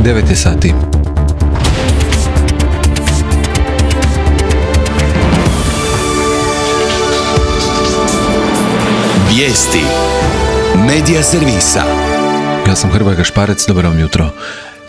9 je sati. Vijesti Medija servisa. Ja sam Hrvoje Gašparec, dobro vam jutro.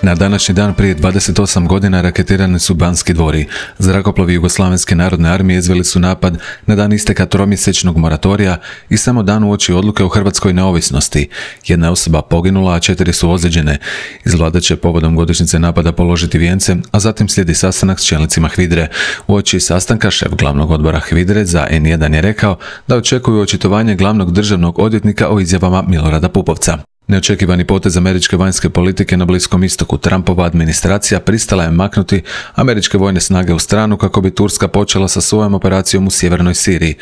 Na današnji dan prije 28 godina raketirani su Banski dvori. Zrakoplovi Jugoslavenske narodne armije izveli su napad na dan isteka tromjesečnog moratorija i samo dan uoči odluke o hrvatskoj neovisnosti. Jedna je osoba poginula, a 4 su ozlijeđene. Iz vlade će povodom godišnjice napada položiti vijence, a zatim slijedi sastanak s čelnicima HVIDRE. Uoči sastanka šef glavnog odbora HVIDRE za N1 je rekao da očekuju očitovanje glavnog državnog odvjetnika o izjavama Milorada Pupovca. Neočekivani potez američke vanjske politike na Bliskom istoku. Trumpova administracija pristala je maknuti američke vojne snage u stranu kako bi Turska počela sa svojom operacijom u sjevernoj Siriji.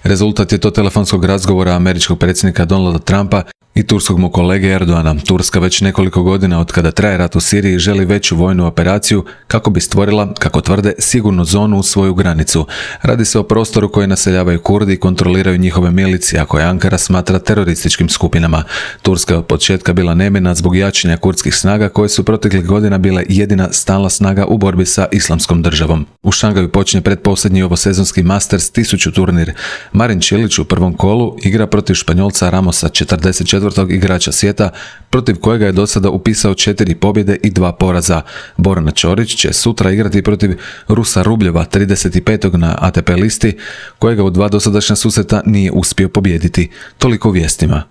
Rezultat je to telefonskog razgovora američkog predsjednika Donalda Trumpa i turskog mu kolege Erdoana. Turska već nekoliko godina od kada traje rat u Siriji želi veću vojnu operaciju kako bi stvorila, kako tvrde, sigurnu zonu u svoju granicu. Radi se o prostoru koji naseljavaju Kurdi i kontroliraju njihove milicije, a koje Ankara smatra terorističkim skupinama. Turska je od početka bila nemirna zbog jačanja kurdskih snaga koje su proteklih godina bile jedina stalna snaga u borbi sa Islamskom državom. U Šangaju počinje pretposljednji ovosezonski Masters 1000 turnir. Marin Čilić u prvom kolu igra protiv Španjolca Ramosa, 44. igrača svijeta, protiv kojega je do sada upisao 4 pobjede i 2 poraza. Borna Ćorić će sutra igrati protiv Rusa Rubljeva, 35. na ATP listi, kojega u 2 dosadašnja susreta nije uspio pobijediti. Toliko u vijestima.